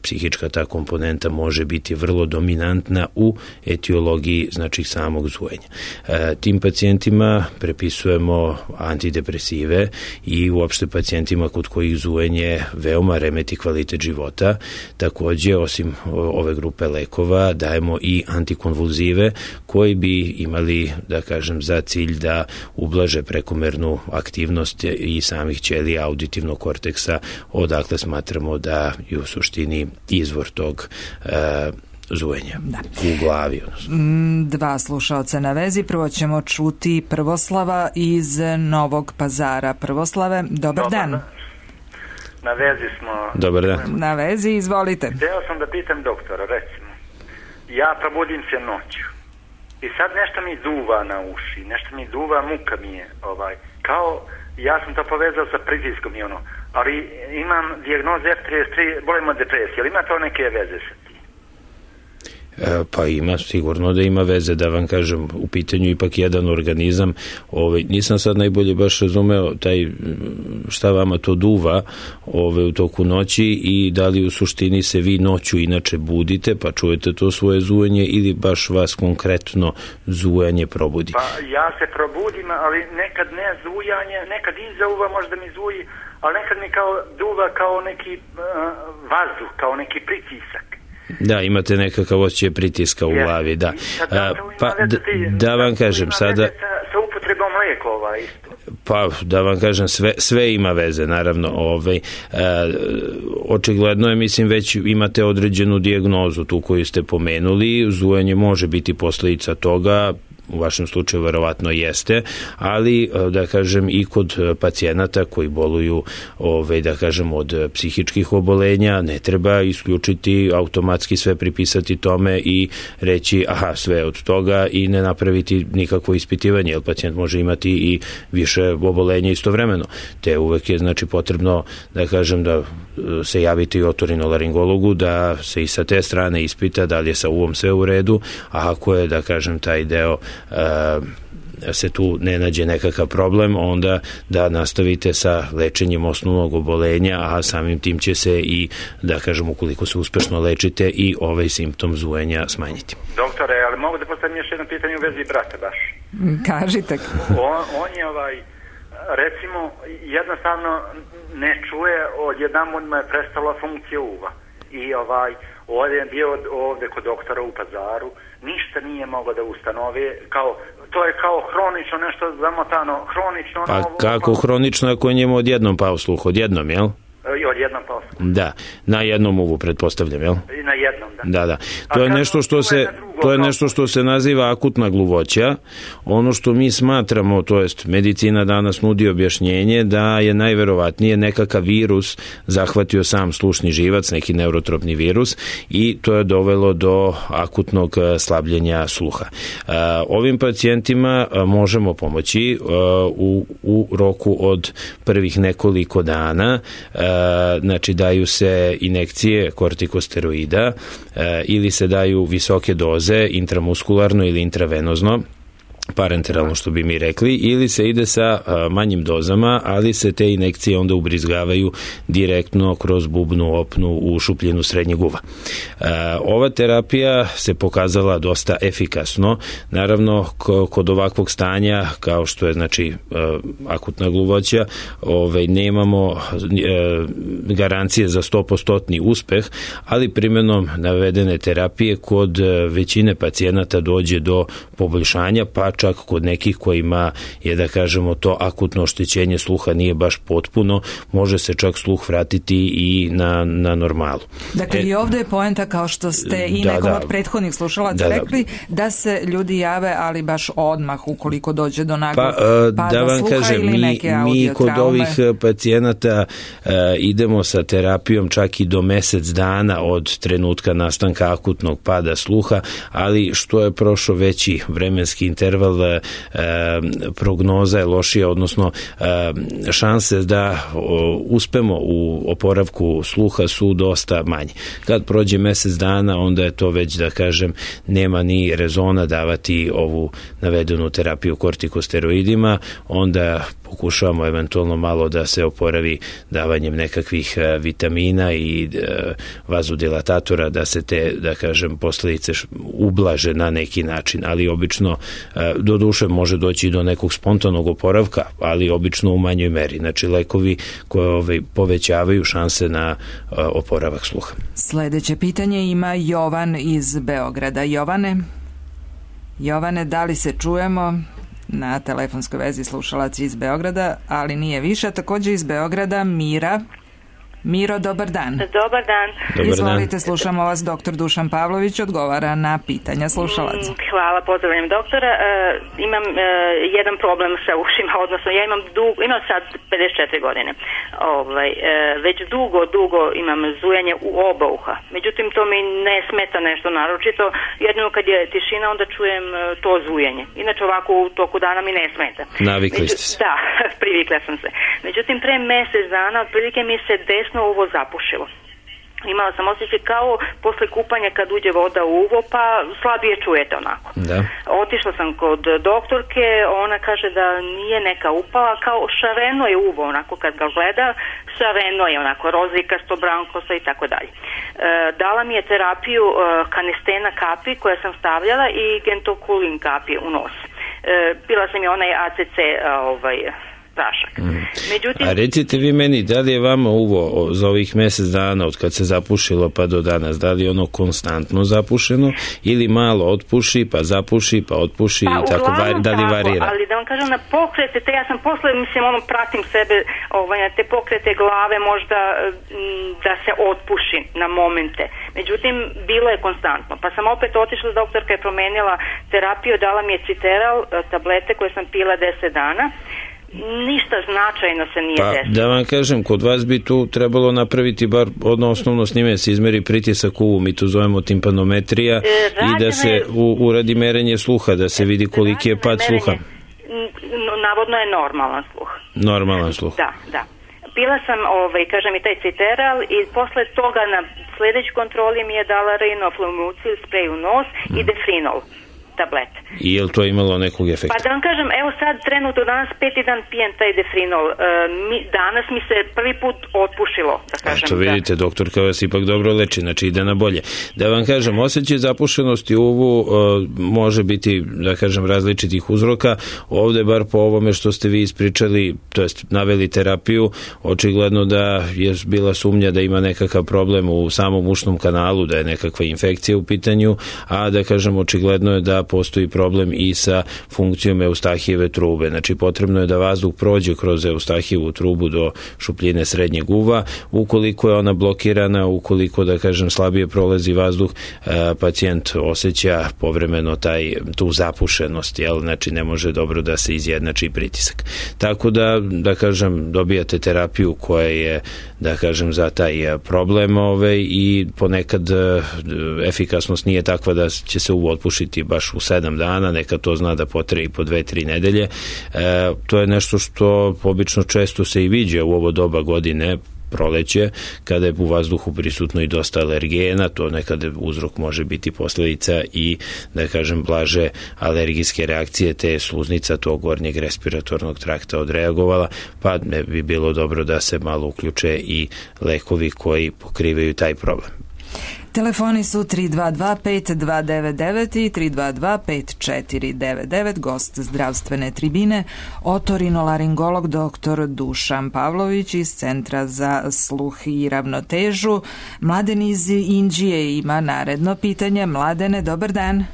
psihička ta komponenta može biti vrlo dominantna u etiologiji, znači, samog zujanja. E, tim pacijentima prepisujemo antidepresive i uopšte pacijentima kod kojih zujanje veoma remeti kvalitet života. Takođe, osim ove grupe lekova, dajemo i antikonvulzive koji bi imali, da kažem, za cilj da ublaže prekomernu aktivnost i samih ćelija auditivnog korteksa, odakle smatramo da je u suštini izvor tog e, zujanja, da, u glavi. Odnosno. Dva slušaoca na vezi. Prvo ćemo čuti Prvoslava iz Novog Pazara. Prvoslave, dobar, dobar dan. Na vezi smo. Dobar dan. Na vezi, izvolite. Hteo sam da pitam doktora, recimo, ja probudim se noću i sad nešto mi duva na uši, nešto mi duva, muka mi je, ovaj, kao, ja sam to povezao sa pritiskom i ono, ali imam dijagnozu F trideset tri, bolim od depresije, ali ima to neke veze sa tim? Pa ima, sigurno da ima veze, da vam kažem, u pitanju ipak jedan organizam. Ovaj, nisam sad najbolje baš razumeo taj, šta vama to duva ovaj, u toku noći i da li u suštini se vi noću inače budite pa čujete to svoje zujanje ili baš vas konkretno zujanje probudi? Pa ja se probudim, ali nekad ne zujanje, nekad iza uva možda mi zuji, ali nekad mi kao duva kao neki uh, vazduh, kao neki pritisak. Da, imate nekakav osjećaj pritiska u glavi, da. A, pa, da, da vam kažem, sada... Sa upotrebom lijekova isto. Pa, da vam kažem, sve, sve ima veze, naravno. Ovaj, a, očigledno je, mislim, već imate određenu dijagnozu tu koju ste pomenuli. Zujanje može biti posljedica toga, u vašem slučaju verovatno jeste, ali da kažem i kod pacijenata koji boluju ove, da kažem od psihičkih obolenja ne treba isključiti, automatski sve pripisati tome i reći aha sve od toga i ne napraviti nikakvo ispitivanje, jer pacijent može imati i više obolenja istovremeno. Te uvek je znači potrebno da kažem da se javiti otorinolaringologu, da se i sa te strane ispita da li je sa uvom sve u redu, a ako je da kažem taj deo se tu ne nađe nekakav problem, onda da nastavite sa lečenjem osnovnog obolenja, a samim tim će se i, da kažem, ukoliko se uspešno lečite i ovaj simptom zujanja smanjiti. Doktore, ali mogu da postavim još jedno pitanje u vezi brata baš. Kažite. On, on je ovaj, recimo, jednostavno ne čuje, odjedanput mu je prestala funkcija uva. I ovaj, ovdje je bio ovdje kod doktora u Pazaru, ništa nije mogao da ustanovi, kao, to je kao hronično nešto zamotano, hronično... Pa ono, kako ono, hronično ako je njemu odjednom pao sluh, odjednom, jel? I odjednom pao sluh. Da, na jednom uvu pretpostavljam, jel? I na jednom, da. Da, da. To je nešto što se to je nešto što se naziva akutna gluvoća. Ono što mi smatramo, to jest medicina danas nudi objašnjenje da je najverovatnije nekakav virus zahvatio sam slušni živac, neki neurotropni virus, i to je dovelo do akutnog slabljenja sluha. Ovim pacijentima možemo pomoći u, u roku od prvih nekoliko dana. Znači daju se injekcije kortikosteroida ili se daju visoke doze intramuskularno ili intravenozno, parenteralno što bi mi rekli, ili se ide sa manjim dozama, ali se te injekcije onda ubrizgavaju direktno kroz bubnu opnu u šupljinu srednjeg uva. Ova terapija se pokazala dosta efikasno. Naravno, kod ovakvog stanja, kao što je znači akutna gluvoća, ovaj, nemamo garancije za sto posto uspeh, ali primjenom navedene terapije kod većine pacijenata dođe do poboljšanja, pa čak kod nekih kojima je, da kažemo, to akutno oštećenje sluha nije baš potpuno, može se čak sluh vratiti i na, na normalu. Dakle, e, i ovdje je poenta, kao što ste i da, nekom da, od prethodnih slušalaca da, rekli, da. da se ljudi jave, ali baš odmah ukoliko dođe do naglog pa, pada da vam sluha kažem, ili mi, neke mi kod traume. ovih pacijenata uh, idemo sa terapijom čak i do mesec dana od trenutka nastanka akutnog pada sluha, ali što je prošao veći vremenski interval, E, prognoza je lošija, odnosno e, šanse da o, uspemo u oporavku sluha su dosta manje. Kad prođe mesec dana, onda je to već, da kažem, nema ni rezona davati ovu navedenu terapiju kortikosteroidima, onda pokušavamo eventualno malo da se oporavi davanjem nekakvih vitamina i vazodilatatora, da se te, da kažem, posljedice ublaže na neki način, ali obično do duše može doći do nekog spontanog oporavka, ali obično u manjoj meri. Znači lekovi koje ovaj, povećavaju šanse na oporavak sluha. Sljedeće pitanje ima Jovan iz Beograda. Jovane, Jovane, da li se čujemo? Na telefonskoj vezi slušalac iz Beograda, ali nije više. Također iz Beograda Mira. Miro, dobar dan. Dobar dan. Dobar Izvolite, dan. slušamo vas. Doktor Dušan Pavlović odgovara na pitanja slušalaca. Hvala, pozdravljam doktora. E, imam e, jedan problem sa ušima, odnosno ja imam dugo, imam sad pedeset četiri godine. Ovaj, e, već dugo, dugo imam zujanje u oba uha. Međutim, to mi ne smeta nešto naročito. Jedino kad je tišina, onda čujem to zujanje. Inače, ovako u toku dana mi ne smeta. Navikli Među, ste se. Da, privikla sam se. Međutim, pre mjesec dana, otprilike mi se desno uvo zapušilo. Imala sam osjećaj kao posle kupanja kad uđe voda u uvo, pa slabije čujete onako. Da. Otišla sam kod doktorke, ona kaže da nije neka upala, kao šareno je uvo onako kad ga gleda, šareno je onako rozikasto, brankosto i tako dalje. Dala mi je terapiju e, kanistena kapi koja sam stavljala i gentokulin kapi u nos. E, bila sam je onaj A C C ovaj prašak. Mm. Međutim, a recite vi meni, da li je vama uvo za ovih mjesec dana od kad se zapušilo pa do danas, da li je ono konstantno zapušeno ili malo otpuši pa zapuši pa otpuši pa, i tako, var, da li varira? Ali da vam kažem, na pokrete, te ja sam posle, mislim, ono, pratim sebe, ovaj, na te pokrete glave možda m, da se otpuši na momente. Međutim, bilo je konstantno. Pa sam opet otišla, doktorka je promenila terapiju, dala mi je citeral, tablete koje sam pila deset dana. Ništa značajno se nije pa, desilo. Da vam kažem, kod vas bi tu trebalo napraviti bar odno osnovno snime, se izmeri pritisak uvu, mi to zovemo timpanometrija, e, i da se u, uradi merenje sluha, da se vidi koliki je pad sluha. Navodno je normalan sluh. Normalan sluh. Da, da. Pila sam, ovaj, kažem, i taj citeral i posle toga na sljedećoj kontroli mi je dala Rinoflumucil, sprej u nos, mm. i Defrinol. tablete. I je li to imalo nekog efekta? Pa da vam kažem, evo sad trenutno danas peti dan pijem taj defrinol. E, mi, danas mi se prvi put otpušilo, da kažem. Eto vidite, da. Doktorka vas ipak dobro leči, znači ide na bolje. Da vam kažem, osjećaj zapušenosti uvu e, može biti, da kažem, različitih uzroka. Ovde, bar po ovome što ste vi ispričali, to jest naveli terapiju, očigledno da je bila sumnja da ima nekakav problem u samom ušnom kanalu, da je nekakva infekcija u pitanju, a da kažem, očigledno je da postoji problem i sa funkcijom eustahijeve trube. Znači, potrebno je da vazduh prođe kroz eustahijevu trubu do šupljine srednjeg uva. Ukoliko je ona blokirana, ukoliko, da kažem, slabije prolazi vazduh, pacijent osjeća povremeno taj, tu zapušenost, jel? Znači, ne može dobro da se izjednači pritisak. Tako da, da kažem, dobijate terapiju koja je, da kažem, za taj problem ove, i ponekad efikasnost nije takva da će se uvo otpušiti baš u sedam dana, neka to zna da potraje i po dve, tri nedelje. E, to je nešto što obično često se i viđa u ovo doba godine, proleće, kada je u vazduhu prisutno i dosta alergena, to nekada uzrok može biti posledica i, da kažem, blaže alergijske reakcije, te je sluznica tog gornjeg respiratornog trakta odreagovala, pa ne bi bilo dobro da se malo uključe i lekovi koji pokrivaju taj problem. Telefoni su tri dva dva pet dva devet devet i tri dva dva pet četiri devet devet. Gost zdravstvene tribine, otorinolaringolog doktor Dušan Pavlović iz Centra za sluh i ravnotežu. Mladen iz Inđije ima naredno pitanje. Mladene, dobar dan.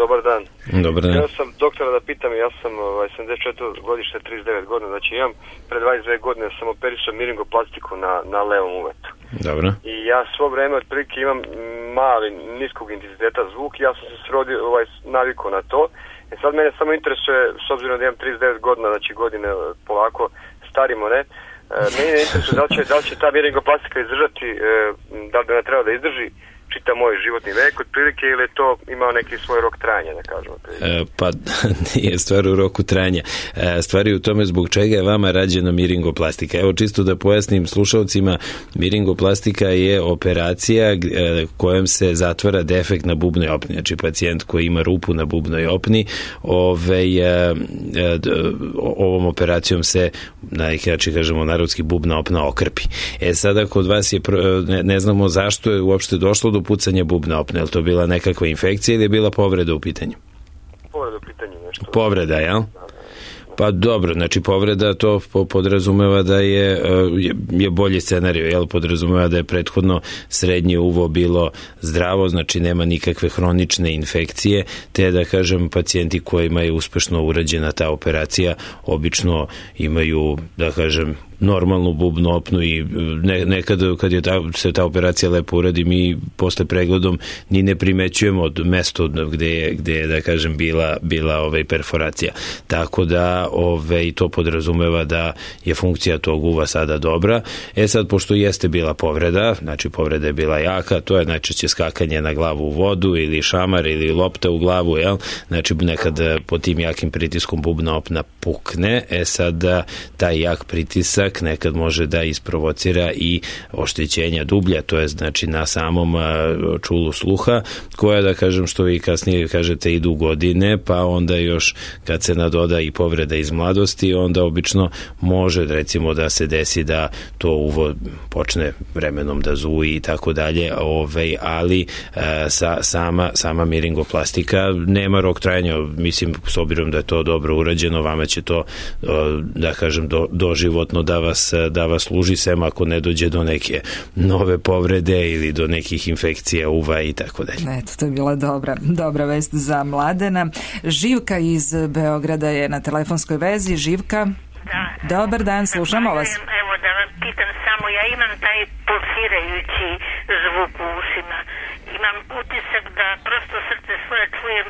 Dobar dan. Dobar dan. Ja sam doktora da pitam, ja sam ovaj, sedamdeset četvrte godište, trideset devet godina, znači imam pre dvadeset dve godine sam operisao miringoplastiku na, na levom uvetu. Dobro. I ja svo vreme otprilike imam mali, niskog intenziteta zvuk, ja sam se srodio, ovaj, navikao na to. E sad mene samo interesuje, s obzirom da imam trideset devet godina, znači godine polako starimo, ne? E, meni ne interesuje da li će, da li će ta miringoplastika izdržati, e, da li da ne treba da izdrži čita moj životni vek otprilike, ili je to imao neki svoj rok trajanja, da kažemo. E, pa nije stvar u roku trajanja. E, stvar je u tome zbog čega je vama rađena miringoplastika. Evo, čisto da pojasnim slušalcima, miringoplastika je operacija e, kojom se zatvara defekt na bubnoj opni. Znači, pacijent koji ima rupu na bubnoj opni, ove, e, e, ovom operacijom se, na neki način kažemo narodski, bubna opna okrpi. E, sada kod vas je, ne, ne znamo zašto je uopšte došlo do pucanja bubne opne. Je li to bila nekakva infekcija ili je bila povreda u pitanju? Povreda u pitanju nešto. Povreda, jel? Pa dobro, znači povreda to podrazumeva da je, je bolji scenarij, jel? Podrazumeva da je prethodno srednje uvo bilo zdravo, znači nema nikakve hronične infekcije, te da kažem pacijenti kojima je uspešno urađena ta operacija obično imaju, da kažem, normalnu bubnu opnu i ne, nekad kad je ta, se ta operacija lepo uradi, mi posle pregledom ni ne primećujemo od mesto gde je, gde je, da kažem, bila, bila ovaj perforacija. Tako da ovaj, to podrazumeva da je funkcija tog uva sada dobra. E sad, pošto jeste bila povreda, znači povreda je bila jaka, to je najčešće skakanje na glavu u vodu ili šamar ili lopta u glavu, jel? Znači nekad pod tim jakim pritiskom bubna opna pukne, e sad taj jak pritisak nekad može da isprovocira i oštećenja dublja, to je znači na samom čulu sluha, koja, da kažem, što vi kasnije kažete, idu godine, pa onda još kad se nadoda i povreda iz mladosti, onda obično može, recimo, da se desi da to uvo počne vremenom da zuji i tako dalje, ovaj, ali sa, sama, sama miringoplastika nema rok trajanja, mislim, s obzirom da je to dobro urađeno, vama će to, da kažem, do, doživotno da vas, da vas služi, sem ako ne dođe do neke nove povrede ili do nekih infekcija uva i tako dalje. Eto, to je bila dobra, dobra vest za Mladena. Živka iz Beograda je na telefonskoj vezi. Živka, da. Dobar dan, slušamo vas. Evo da vam pitam samo, ja imam taj pulsirajući zvuk u ušima. Imam utisak da prosto srce svoje čujem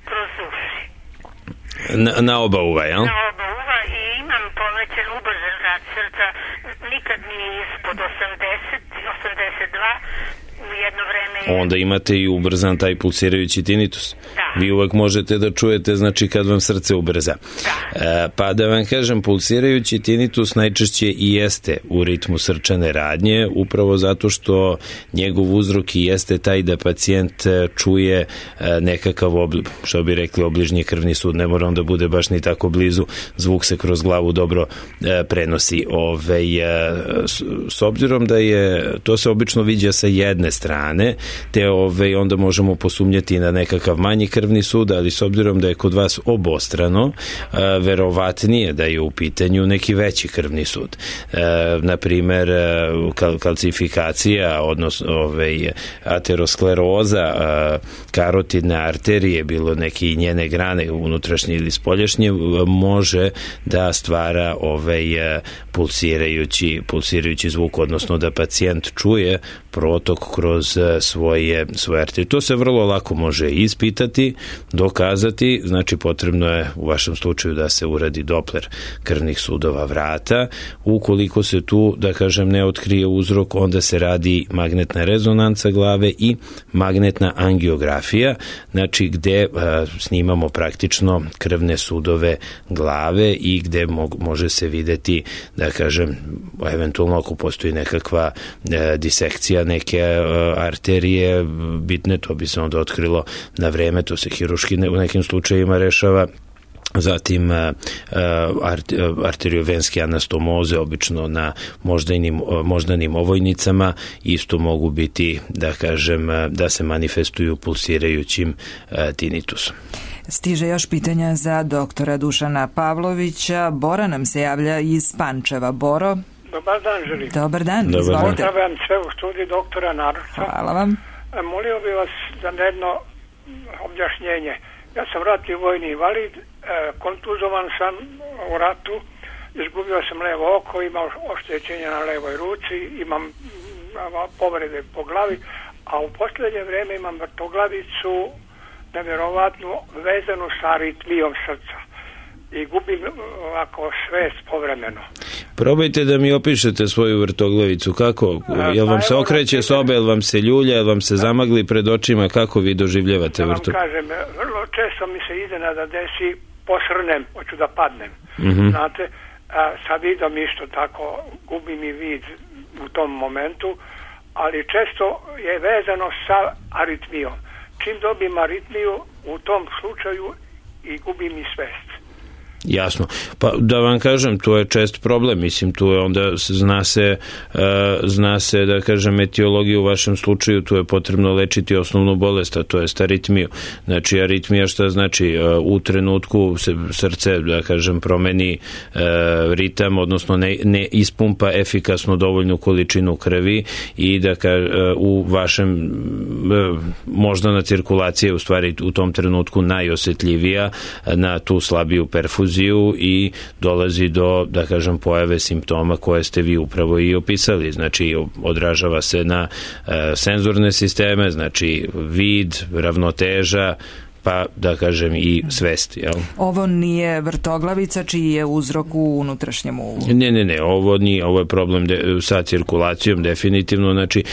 kroz uši. Na, na oba uva, jel? Na oba uva i imam povećan ubrzan rad srca, nikad nije ispod osamdeset, osamdeset dva, u jedno vreme... Onda imate i ubrzan taj pulsirajući tinitus. Da. vi uvek možete da čujete, znači kad vam srce ubrza. E, pa da vam kažem, pulsirajući tinitus najčešće i jeste u ritmu srčane radnje, upravo zato što njegov uzrok i jeste taj da pacijent čuje nekakav, obli, što bi rekli, obližnji krvni sud, ne mora on da bude baš ni tako blizu, zvuk se kroz glavu dobro e, prenosi. Ove, e, s, s obzirom da je, to se obično viđa sa jedne strane, te ove, onda možemo posumnjati na nekakav manji krvni sud, ali s obzirom da je kod vas obostrano, e, verovatnije da je u pitanju neki veći krvni sud. E, naprimer, kal, kalcifikacija, odnosno ove, ateroskleroza, e, karotidne arterije, bilo neke njene grane unutrašnje ili spoljašnje, može da stvara ovaj pulsirajući, pulsirajući zvuk, odnosno da pacijent čuje protok kroz svoje, svoje arterije. To se vrlo lako može ispitati, dokazati, znači potrebno je u vašem slučaju da se uradi Doppler krvnih sudova vrata. Ukoliko se tu, da kažem, ne otkrije uzrok, onda se radi magnetna rezonanca glave i magnetna angiografija, znači gde a, snimamo praktično krvne sudove glave i gde mo- može se videti, da kažem, eventualno ako postoji nekakva e, disekcija neke e, arterije bitne, to bi se onda otkrilo na vreme, to se hiruški ne, u nekim slučajima rešava. Zatim arteriovenske anastomoze, obično na moždanim, moždanim ovojnicama, isto mogu biti, da kažem, da se manifestuju pulsirajućim tinitusom. Stiže još pitanja za doktora Dušana Pavlovića. Bora nam se javlja iz Pančeva. Boro? Dobar dan, želim. Dobar dan, Dobar izvolite. Pozdravljam sve u studiju doktora Naruča. Hvala vam. Molio bih vas za jedno objašnjenje. Ja sam ratni vojni invalid, kontuzovan sam u ratu, izgubio sam levo oko, imam oštećenja na levoj ruci, imam povrede po glavi, a u posljednje vrijeme imam vrtoglavicu nevjerovatno vezanu sa aritmijom srca i gubim ovako svest povremeno. Probajte da mi opišete svoju vrtoglavicu. Kako? Jel vam se okreće soba, jel vam se ljulja, jel vam se zamagli pred očima? Kako vi doživljavate vrtoglavicu? Ja vam kažem, vrlo često mi se iznenada desi, posrnem, hoću da padnem. Mm-hmm. Znate, a, sa vidom isto tako, gubim i vid u tom momentu, ali često je vezano sa aritmijom. Čim dobijem aritmiju, u tom slučaju i gubim i svest. Jasno. Pa da vam kažem, to je čest problem, mislim, tu je onda zna se, uh, zna se, da kažem, etiologiju u vašem slučaju, tu je potrebno lečiti osnovnu bolest, a to je aritmiju. Znači, aritmija šta znači? Uh, u trenutku se srce, da kažem, promeni uh, ritam, odnosno ne, ne ispumpa efikasno dovoljnu količinu krvi i da ka, uh, u vašem uh, moždana cirkulacija je u stvari u tom trenutku najosjetljivija na tu slabiju perfuziju i dolazi do, da kažem, pojave simptoma koje ste vi upravo i opisali. Znači, odražava se na e, senzorne sisteme, znači vid, ravnoteža, pa da kažem i svest, jel? Ovo nije vrtoglavica čiji je uzrok u unutrašnjem uvu. Ne, ne, ne, ovo nije, ovo je problem de, sa cirkulacijom definitivno, znači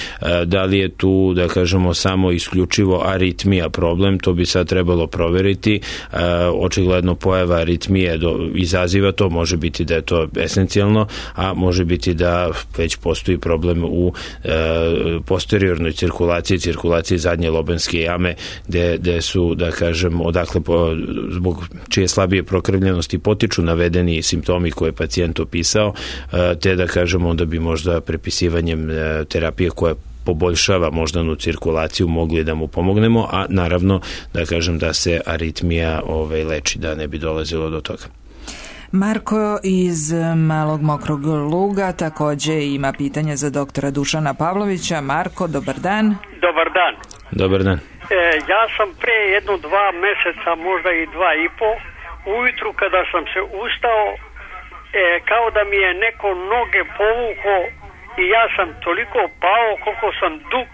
da li je tu, da kažemo, samo isključivo aritmija problem, to bi sad trebalo proveriti. Očigledno pojava aritmije do, izaziva to, može biti da je to esencijalno, a može biti da već postoji problem u e, posteriornoj cirkulaciji, cirkulaciji zadnje lobanske jame, gde, gde su, da kažem, odakle po, zbog čije slabije prokrvljenosti potiču navedeni simptomi koje je pacijent opisao, te da kažem onda bi možda prepisivanjem terapije koja poboljšava moždanu cirkulaciju mogli da mu pomognemo, a naravno da kažem da se aritmija ovaj, leči, da ne bi dolazilo do toga. Marko iz Malog Mokrog Luga takođe ima pitanje za doktora Dušana Pavlovića. Marko, dobar dan. Dobar dan. Dobar dan. E, ja sam pre jedno dva meseca, možda i dva i po, ujutru kada sam se ustao, e, kao da mi je neko noge povuko i ja sam toliko pao koliko sam dug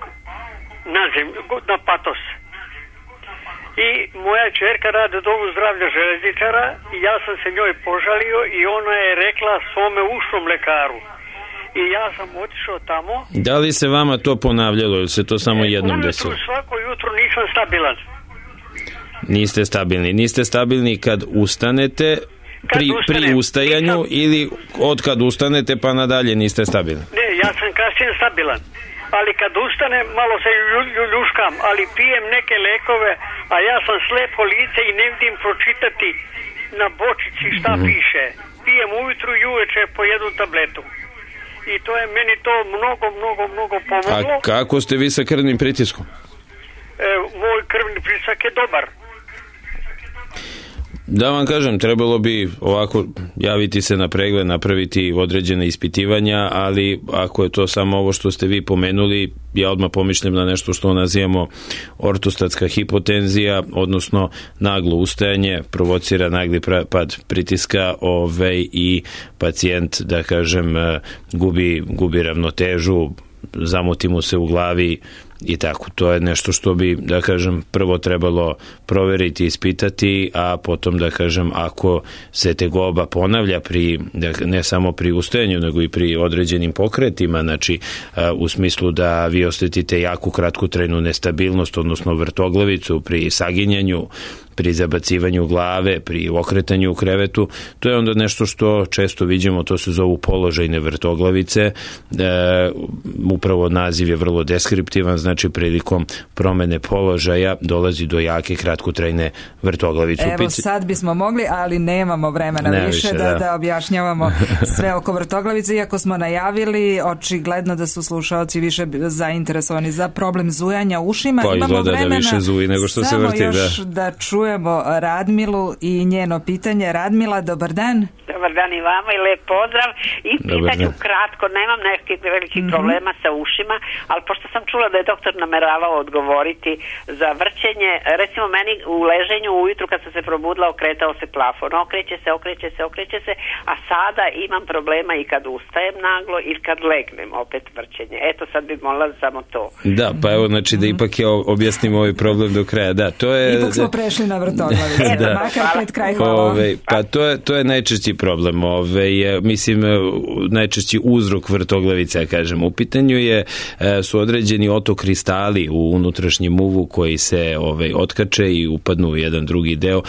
na zemlju, na patos. I moja čerka radi u domu zdravlja železničara i ja sam se njoj požalio i ona je rekla svome ušnom lekaru. I ja sam otišao tamo. Da li se vama to ponavljalo ili se to samo jednom desilo? Svako jutro nisam stabilan. Niste stabilni. Niste stabilni kad ustanete, pri, pri ustajanju nisam... ili od kad ustanete pa nadalje niste stabilni? Ne, ja sam kasnije stabilan. Ali kad ustanem, malo se ljuškam, ali pijem neke lekove, a ja sam slepo lice i ne vidim pročitati na bočici šta mm-hmm. piše. Pijem ujutru i uveče po jednu tabletu. I to je meni to mnogo, mnogo, mnogo pomoglo. A kako ste vi sa krvnim pritiskom? E, moj krvni pritisak je dobar. Da vam kažem, trebalo bi ovako javiti se na pregled, napraviti određene ispitivanja, ali ako je to samo ovo što ste vi pomenuli, ja odmah pomišljam na nešto što nazivamo ortostatska hipotenzija, odnosno naglo ustajanje, provocira nagli pad pritiska ovaj, i pacijent, da kažem, gubi, gubi ravnotežu, zamuti mu se u glavi i tako. To je nešto što bi, da kažem, prvo trebalo proveriti, ispitati, a potom, da kažem, ako se tegoba ponavlja pri, ne samo pri ustajanju, nego i pri određenim pokretima, znači u smislu da vi osetite jaku kratkotrajnu nestabilnost, odnosno vrtoglavicu pri saginjanju, pri zabacivanju glave, pri okretanju u krevetu, to je onda nešto što često vidimo, to se zovu položajne vrtoglavice, e, upravo naziv je vrlo deskriptivan, znači prilikom promene položaja dolazi do jake kratkotrajne vrtoglavice. Evo sad bismo mogli, ali nemamo vremena ne više, više da, da. da objašnjavamo sve oko vrtoglavice, iako smo najavili, očigledno da su slušalci više zainteresovani za problem zujanja ušima. Pa imamo izgleda vremena, da više zuji nego što se vrti. Samo još da, da čujemo Radmilu i njeno pitanje. Radmila, dobar dan. Dobar dan i vama i lep pozdrav. I pitanju kratko, nemam nekih velikih mm-hmm. problema sa ušima, ali pošto sam čula da je doktor nameravao odgovoriti za vrćenje, recimo meni u leženju ujutru kad sam se probudila okretao se plafon, okreće se, okreće se, okreće se, a sada imam problema i kad ustajem naglo i kad legnem opet vrćenje. Eto sad bi molila samo to. Da, pa evo, znači da ipak je objasnimo ovaj problem do kraja. Da, to je... Ipak smo prešli na vrtoglavicu. Eto, makar pred kraj, hvala. Ove, pa to je, to je najčešći problem. Ove, mislim, najčešći uzrok vrtoglavice, ja kažem. U pitanju je, su određeni otokristali u unutrašnjem uvu koji se ove, otkače i upadnu u jedan drugi deo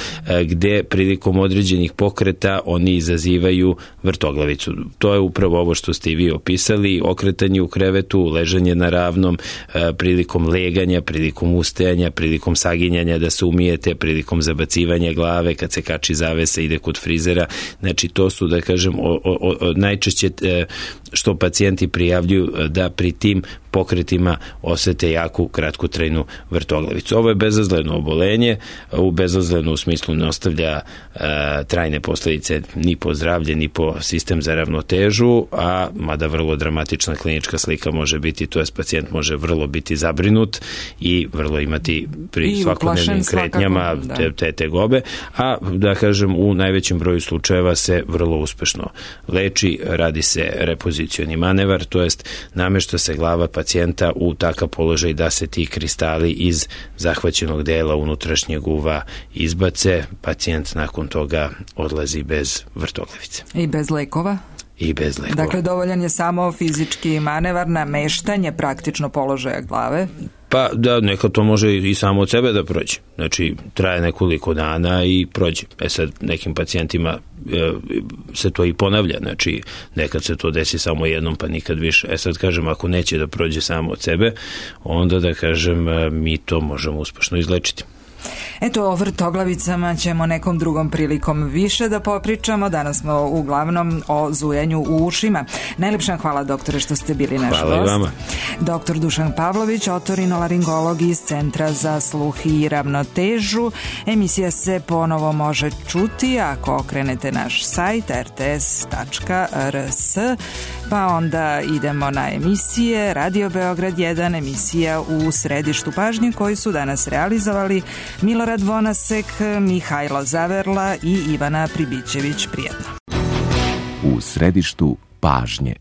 gde prilikom određenih pokreta oni izazivaju vrtoglavicu. To je upravo ovo što ste i vi opisali, okretanje u krevetu, ležanje na ravnom, prilikom leganja, prilikom ustajanja, prilikom saginjanja da se umijete, prilikom zabacivanja glave, kad se kači zavesa, ide kod frizera. Znači, to su, da kažem, o, o, o, najčešće što pacijenti prijavljuju da pri tim pokretima osete jaku kratkotrajnu vrtoglavicu. Ovo je bezazleno obolenje, u bezazleno u smislu ne ostavlja e, trajne posledice ni po zdravlje, ni po sistem za ravnotežu, a mada vrlo dramatična klinička slika može biti, to je pacijent može vrlo biti zabrinut i vrlo imati pri I svakodnevnim kretnjama te, te tegobe, a da kažem u najvećem broju slučajeva se vrlo uspešno leči, radi se repozicioni manevar, to jest namešta se glava pacijenta u takav položaj da se ti kristali iz zahvaćenog dela unutrašnjeg uva izbace, pacijent nakon toga odlazi bez vrtoglavice. I bez lekova? I bez lekova. Dakle, dovoljan je samo fizički manevar, nameštanje praktično položaja glave? Pa da, neka to može i samo od sebe da prođe. Znači, traje nekoliko dana i prođe. E sad, nekim pacijentima e, se to i ponavlja. Znači, nekad se to desi samo jednom, pa nikad više. E sad, kažem, ako neće da prođe samo od sebe, onda, da kažem, mi to možemo uspešno izlečiti. Eto, o vrtoglavicama ćemo nekom drugom prilikom više da popričamo. Danas smo uglavnom o zujanju u ušima. Najlepša hvala, doktore, što ste bili naš gost. Hvala i vama. Doktor Dušan Pavlović, otorinolaringolog iz Centra za sluh i ravnotežu. Emisija se ponovo može čuti ako okrenete naš sajt er te es tačka er es, pa onda idemo na emisije Radio Beograd jedan, emisija u središtu pažnje koji su danas realizovali Milorad Vonasek, Mihajlo Zaverla i Ivana Pribićević. Prijetno. U središtu pažnje.